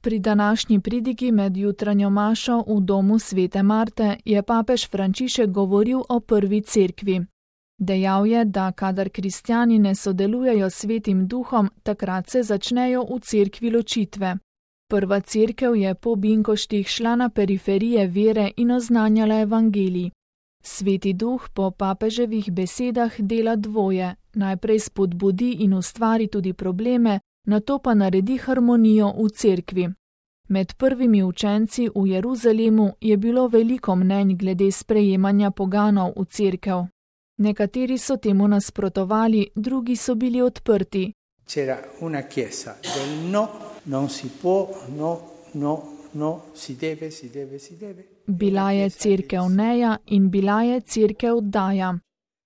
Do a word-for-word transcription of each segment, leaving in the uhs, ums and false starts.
Pri današnji pridigi med jutranjo mašo v domu svete Marte je papež Frančišek govoril o prvi cerkvi. Dejal je, da kadar kristjani ne sodelujejo s Svetim Duhom, takrat se začnejo v cerkvi ločitve. Prva cerkev je po binkoštih šla na periferije vere in oznanjala evangelij. Sveti Duh po papeževih besedah dela dvoje, najprej spodbudi in ustvari tudi probleme, nato pa naredi harmonijo v cerkvi. Med prvimi učenci v Jeruzalemu je bilo veliko mnenj glede sprejemanja poganov v cerkev. Nekateri so temu nasprotovali, drugi so bili odprti. C'era una chiesa del no, non si può, no, no, no, si deve, si deve, si deve. Bila je cerkev neja in bila je cerkev daja.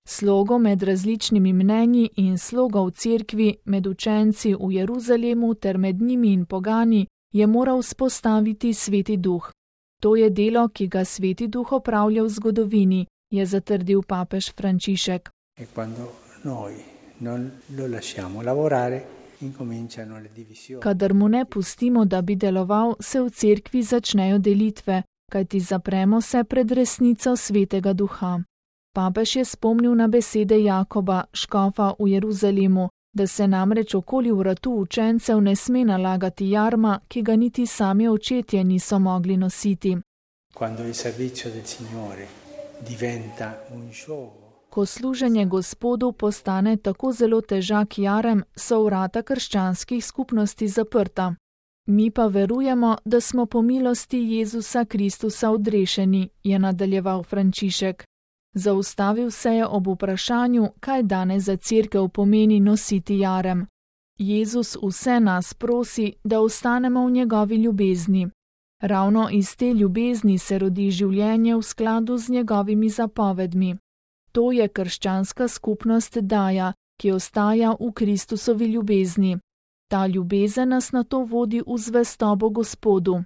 Slogo med različnimi mnenji in sloga v cerkvi, med učenci v Jeruzalemu ter med njimi in pogani, je moral spostaviti Sveti Duh. To je delo, ki ga Sveti Duh opravlja v zgodovini, je zatrdil papež Frančišek. E quando noi non lo lasciamo lavorare, incominciano le divisioni. Kadar mu ne pustimo, da bi deloval, se v cerkvi začnejo delitve, kajti zapremo se pred resnico Svetega Duha. Papež je spomnil na besede Jakoba, škofa v Jeruzalemu, da se namreč okoli vratu učencev ne sme nalagati jarma, ki ga niti sami očetje niso mogli nositi. Quando il servizio del Signore diventa un gioco. Ko služenje Gospodu postane tako zelo težak jarem, so vrata krščanskih skupnosti zaprta. Mi pa verujemo, da smo po milosti Jezusa Kristusa odrešeni, je nadaljeval Frančišek. Zaustavil se je ob vprašanju, kaj danes za cerkev pomeni nositi jarem. Jezus vse nas prosi, da ostanemo v njegovi ljubezni. Ravno iz te ljubezni se rodi življenje v skladu z njegovimi zapovedmi. To je krščanska skupnost daja, ki ostaja v Kristusovi ljubezni. Ta ljubezen nas nato vodi v zvestobo Gospodu.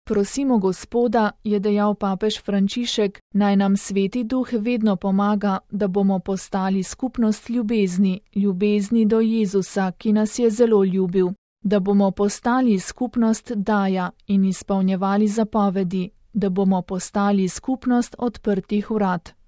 Prosimo Gospoda, je dejal papež Frančišek, naj nam Sveti Duh vedno pomaga, da bomo postali skupnost ljubezni, ljubezni do Jezusa, ki nas je zelo ljubil, da bomo postali skupnost daja in izpolnjevali zapovedi, da bomo postali skupnost odprtih vrat.